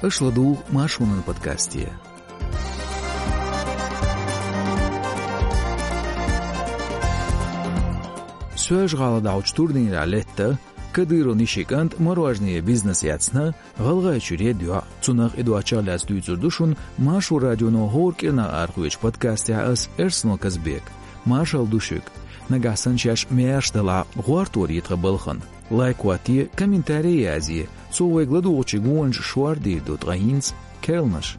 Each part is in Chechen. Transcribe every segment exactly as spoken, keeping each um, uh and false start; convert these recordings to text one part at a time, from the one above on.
Аша ладугӀу Маршонан подкасте. Соьлжа-ГӀалахь долчу турнирехь летта, Кадыровн йишин кӀанта морожене бизнес эцна, ГӀалгӀайчуьра едда йоӀ. Цунах а, и доцчух а лаьцна дуьйцур ду шуна Маршо радионо хӀора кӀирнах арахоьцучу подкастехь ас, Эрсано Казбек. Маршалла ду шуьга. Нагахь санна шаьш маьрша далахь, гӀортор е тхан балхана. Лайк хӀотте, комментарий язъе, цо вайга ладугӀучу гонашна шордийр ду тхан хӀинца керланаш.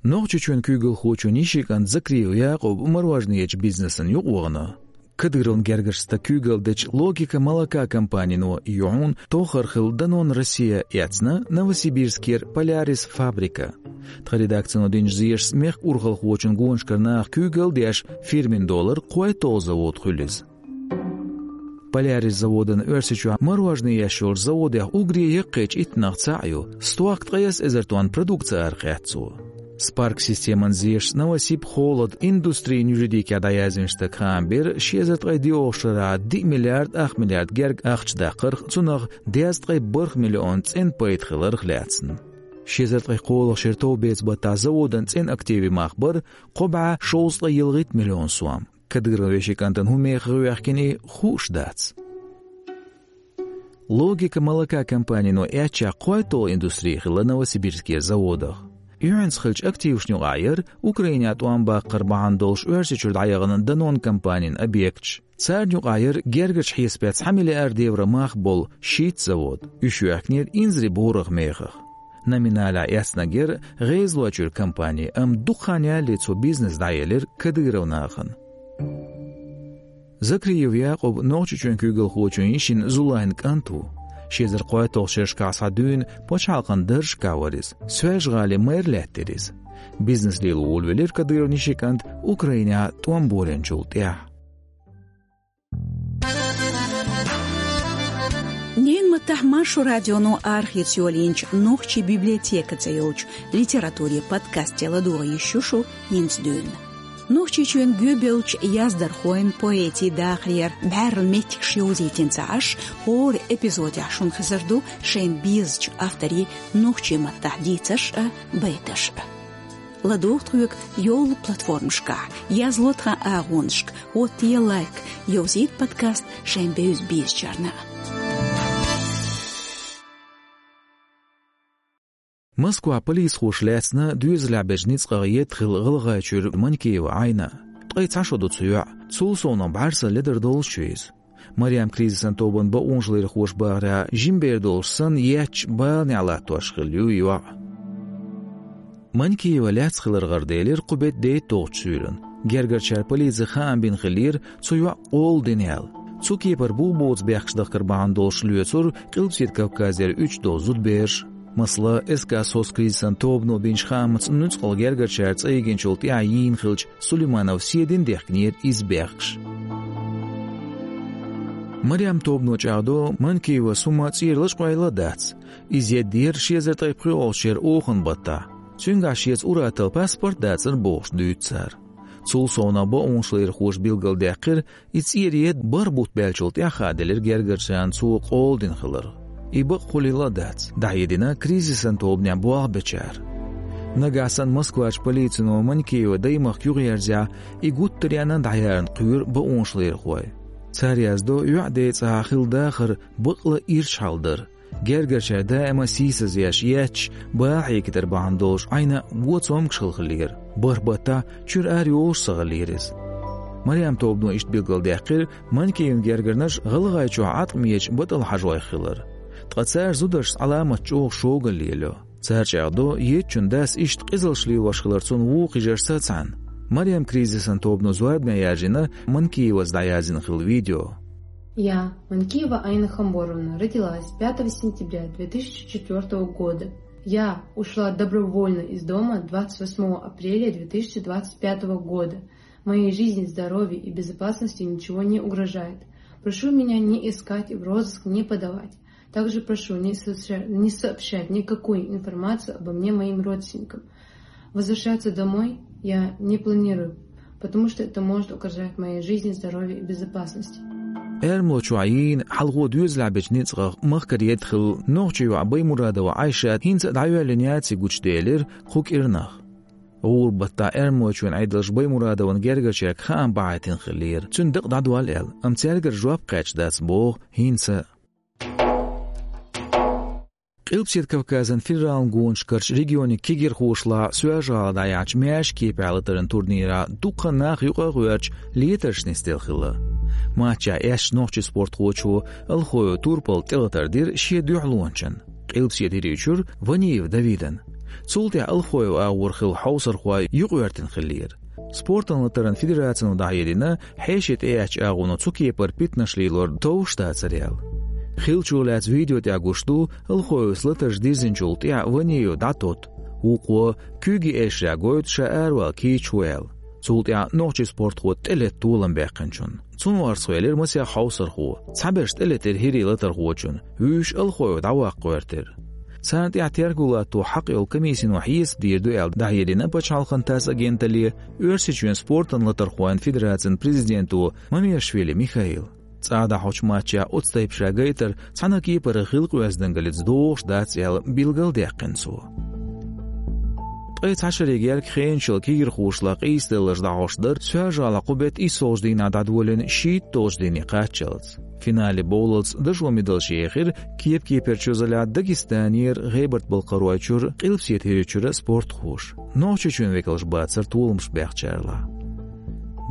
Нохчийчоьнан куьйгалхочун йишин кӀант Закриев Якъуб мороженечу бизнесан юкъавахана. Кадыровн гергарчу стага куьйгалла дечу «Логика молока» компанино юьхьун тохар хилла Данон Россия эцна Новосибирскера «Полярис» фабрика. Тхан редакцино динчу зешашца мехкан урхалхочун гонашкара наха куьйгалла деш, фирмина долара кхойтталгӀа завод хуьлу иза. «Полярис» заводана Оьрсийчохь морожене еш йолчу заводех уггаре яккхийчу иттанах цхьаъ ю, стохка ткъаесна эзар тонна продукци арахецна цо. Spark системан зешашца Новосиб холод индустрин юридикехь дӀаяздинчу стага хаам бира ши эзар ткъе доьалгӀачу шарахь диъ миллиард ах миллиард герга ахча даккхарх, цунах дезткъе бархӀ миллион цӀена пайда хиларх лаьцна. Ши эзар ткъе кхоалгӀачу шеран товбеца баттахь заводана цӀена активийн мах бара кхо бӀе шовзткъе ялхитта миллион сом. Кадыровн вешин кӀантана хӀун мехах гӀоьхкина и хууш дац. «Логика молока» компанино эцча кхойтталгӀа индустри хилла Новосибирскера заводах. Юьхьанца хиллачу активашна юкъахь яра Украинехь тӀом баккхар бахьана долуш Оьрсийчуьра дӀаяхана Данон компанин объекташ. Царна юкъахь яра гергарчу хьесапехь цхьа миллиард евро мах болу шийтта завод. Уьш йоьхкинера инзаре бораха мехах. Номиналехь эцнарг яра ГӀезалойчуьра компани, амма дукха хан ялале цо бизнес дӀаелира Кадыров нахана. Закриев Якъуб Нохчийчоьнан куьйгалхочун йишин Зулайн кӀант ву. Ши эзар кхойтталгӀачу шерашкахь схьа дуьйна пачхьалкхан даржашкахь вара иза. Соьлжа-ГӀалин мэр лаьттира иза. Бизнес лело волавелира Кадыровн йишин кӀант Украинехь тӀом болийначул тӀаьхьа. Ненан маттахь Маршо радионо арахеца йолийначу «Нохчийн библиотека» цӀе йолчу литературин подкасте ладогӀа йиш ю шу хӀинца дуьйна. Нохчийчоьнан гӀоьбеллачу яздархойн, поэтийн дахарера бӀаьрла меттигаш йовзийтина ца Ӏаш, хӀора эпизодехь шуна хезар ду шайна безачу авторийн нохчийн маттахь дийцарш а, байташ а. ЛадогӀа тхоьга йолу платформашкахь, язло тхан агӀонашка, хӀоттае лайк, йовзийта подкаст шайн бевза-безачарна. Москвахь полицехоша лаьцна доьзалехь бечу ницкъах едда хилла ГӀалгӀайчуьра Манькиева Айна. Ткъе цхьа шо ду цу йоӀ, цул совнаха бӀаьрса ледара долуш ю иза. Марьям кризисан тобанан бакъонашларъярхоша бахарехь, жима бер долуш санна, етташ баланехь латтош хилла ю и йоӀ. Манькиева лаьцна хилар гӀараделира кху беттан дейтталгӀачу суьйранна. Гергарчара полице хаам бина хиллера цу йоӀа къола дина аьлла. Цу кепара бу-боцу бехкаш дахкар бахьана долуш лоьцура Къилбаседа Кавказера уьтташ долу зудабераш. Масала, СК «СОС» кризисан тобано бинчу хаамца нуьцкъала гергарчара цӀа йигинчул тӀаьхьа йийна хиллачу Сулейманов Седина дехкинера иза бехкаш. Марьям тобано чӀагӀдо, Манькиевас хӀума цӀера лачкъойла а дац. Иза едда яра ши эзар ткъе пхоьалгӀачу шеран оханан баттахь. Цуьнгахь шеца ур-атталла паспорт дацара бохуш дуьйцу цара. Цул совнаха бакъонашларъярхоша билгалдаьккхира, и цӀера едда бархӀ бутт баьллачул тӀаьхьа хааделира гергарчарна цо къола дина хилар. И бакъ хуьлийла а дац, дӀахьедина кризисан тобанехь болх бечара. Нагахь санна Москварчу полицино Манькиеван даймахка юхаерзахь, и гуттар а яьхна дӀаяьхьна кхоьру бакъонашларъярхой. Цара яздо, йоьӀан ден цӀахь хилла дахар бакъ а ирча хьал дара. Гергарчара даима сийсаз еш, етташ, бала хьегийтар бахьана долуш Айна го цомгуш хилла хиллера. БархӀ баттахь чуьра ара йолуш ца хиллера иза. Марьям тобано иштта билгалдаьккхира Манькиеван гергарнаш ГӀалгӀайчохь Ӏаткъамечу батӀалла хьажойх хилар. Ткъа цара зударшца Ӏаламат чӀогӀа шогал лелайо. Цара чӀагӀдо, еттачун дас иштта къизаллаш лелош хилар цунна вукху хьижаршца цхьаьна. Марьям кризисан тобано зорбане яржийна Манькиевас дӀаяздина хилла видео. Я, Манькиева Айна Хамборовна, родилась пятого сентября две тысячи четвёртого года. Я ушла добровольно из дома двадцать восьмого апреля две тысячи двадцать пятого года. Моей жизни, здоровью и безопасности ничего не угрожает. Прошу меня не искать и в розыск не подавать. Также прошу не сообща-, не сообщать никакую информацию обо мне моим родственникам. Возвращаться домой я не планирую, потому что это может угрожать моей жизни, здоровью и безопасности. Эрмалой чохь йийна хьалхо доьзалехь бечу ницкъах махкара едда хилла нохчийн йоӀ Баймурадова Айшат хӀинца а дӀайоьллина яц и гучуделира кху кӀирнах. ГӀуран баттахь Эрмалойчоьнан Ӏедалша Баймурадовн гергарчаьрга хаам бахьийтина хиллера, цуьнан дакъа дӀадолла аьлла, амма цаьргара жоп кхаьчна дац боху хӀинца а. Къилбаседа Кавказан федералан гонаш карчу регионийн кегирхошлахь Соьлжа-ГӀалахь дӀаяьхьначу маьрша кепехь латаран турнирехь дуккха а нах юкъа а гӀоьртича летарш нисделла хилла. Матчехь эшначу нохчийн спортхочо Алхоев Турпала тӀелатар дира шен дуьхьалончан, Къилбаседа ХӀирийчуьра Ваниев Давидан. Цул тӀаьхьа Алхоев агӀор хилла хьовсархой юкъагӀоьртина хиллера. Спортан латаран федерацино дӀахьедина, хьеший тӀеэцначу агӀоно цу кепара питанаш лелор товш дацара аьлла. Хиллачух лаьцна видео тӀехь гуш ду, Алхоевс латарш дирзинчул тӀаьхьа Ваниев дӀатотту, вукхо куьйгийн эшарехь гойту ша аравала кийча ву аьлла. Цул тӀаьхьа нохчийн спортхо тӀелетта толам баьккхинчунна. Цунах орцахвелира масех хьовсархо. Цхьаберш тӀелетира ХӀирийн латархочунна, вуьйш Алхоев дӀаваккха гӀоьртира. Царна тӀехь терго латто хьакъ йолу комиссино хьесап дийр ду аьлла дӀахьедина Пачхьалкхан ТАСС агенталле Оьрсийчоьнан спортан латархойн федерацин президенто Мамешвили Михаила. ЦӀа дӀахьочу матчехь оцу тайпа ша гайтар цхьана а кепара хилла къоьздангаллица догӀуш дац аьлла билгалдаьккхина цо. Ткъе цхьа шаре герга хенаш йолу кегирхошлахь къийсадаларш дӀахьош дара Соьлжа-ГӀалахь кху беттан иссолгӀачу дийнахь дӀадолийна шийтталгӀачу дийне кхаччалц. Финале бовлалц дашо медалш ехира кеп-кеперчу залехь Дагестанера, ГӀебарта-Балкхаройчуьра, Къилбаседа ХӀирийчуьра спортхоша. Нохчийчоьнан векалш бацара толамаш баьхначарлахь.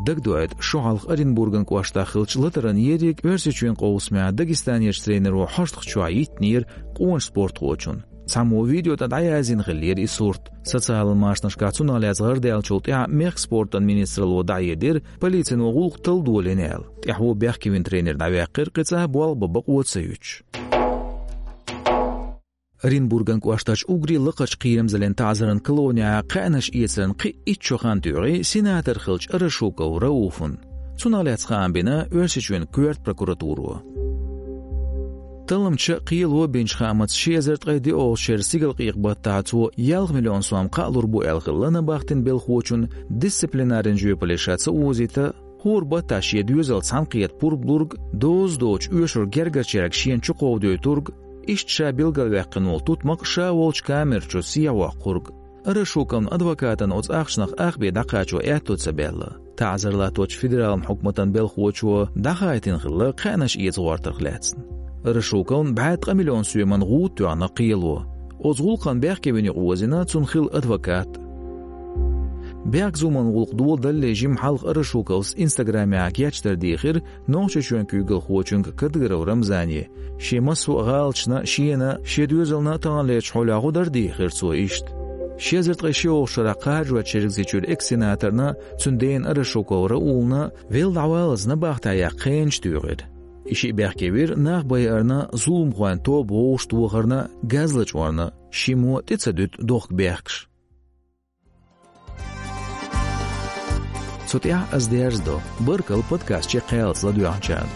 Дагадоуьйту, шо хьалха Оренбурган кӀоштахь хиллачу латаран ерриг Оьрсийчоьнан къовсамехь Дагестанерчу тренеро хьоштах чохь йиттинера къоначу спортхочунна. Цхьаммо видео тӀе дӀаязйина хиллера и сурт. Социалан машанашкахь цунах лаьцна гӀардаьллачул тӀаьхьа мехкан спортан министралло дӀахьедира, полицино гӀуллакх талла долийна аьлла. ТӀаьхьо бехкевина тренер дӀаваьккхира, кхин цкъа а болх бан бакъо ца юьтуш. Оренбурган кӀоштарчу уггаре лакхарчу кхерамзаллин таӀзаран колонехь кхаьънаш эцаран кхин а итт шо хан туьйхира сенатор хиллачу Арашуков Рауфан. Цунах лаьцна хаам бина Оьрсийчоьнан коьрта прокуратуро. Талламча а, кхело а бинчу хаамца, ши эзар ткъе диъолгӀачу шеран стигалкъекъа баттахь цо ялх миллион сом кхаалур бу аьлла хилла набахтина белхочунна дисциплинаран жоьпалле ша ца озийта, хӀора баттахь шен доьзалца цхьаьнакхета пурба лург, доза доцуш оьшург гергарчаьрга шена чукховдойтург, иштта ша билгалваьккхина волу тутмакх ша волчу камер чу сехьавоккхург. Арашуковн адвокатана оцу ахчанах ах бен дӀакхачо аьтто ца баьлла. ТаӀзар латточу федералан хьукматан белхочо дӀахаийтина хилла кхаьънаш эца гӀортарх лаьцна. Арашуковн бӀе ткъа миллион соьман гӀуда тоьхна кхело. Оцу гӀуллакхна бехкевина юкъаозийна цунна хилла адвокат. Бехк-зуламан гӀуллакх доладаллале жимма хьалха Арашуковс Инстаграмехь гечдар дийхира Нохчийчоьнан куьйгалхочуьнга Кадыров Рамзане, шен массо а гӀалаташна, шена, шен доьзална а таханлерчу хьолехь гӀо дар дийхира цо иштта. Ши эзар ткъе шолгӀачу шарахь кхажочу Чергазийчуьра экс-сенаторна, цуьнан дена Арашуков Раулна велла дӀаваллалц набахтехь яккха хенаш туьйхира. И шиъ бехкевира нах байарна, зуламхойн тоба вовшахтохарна, газ лачкъорна, шиммо тӀе ца дуьту дохка бехкаш. Цу тӀехь ас дерзадо. Баркалла подкаст чекхъяллалц ладоьгӀначарна.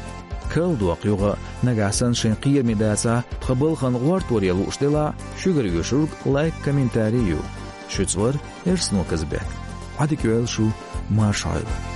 Карладоккху юха, нагахь санна шайн кхераме дацахь, тхан балхана гӀортор ян лууш делахь, шуьгара оьшург лайк, комментарий ю. Шуьца вара Эрсано Казбек. Ӏадика йойла шу, марша Ӏойла.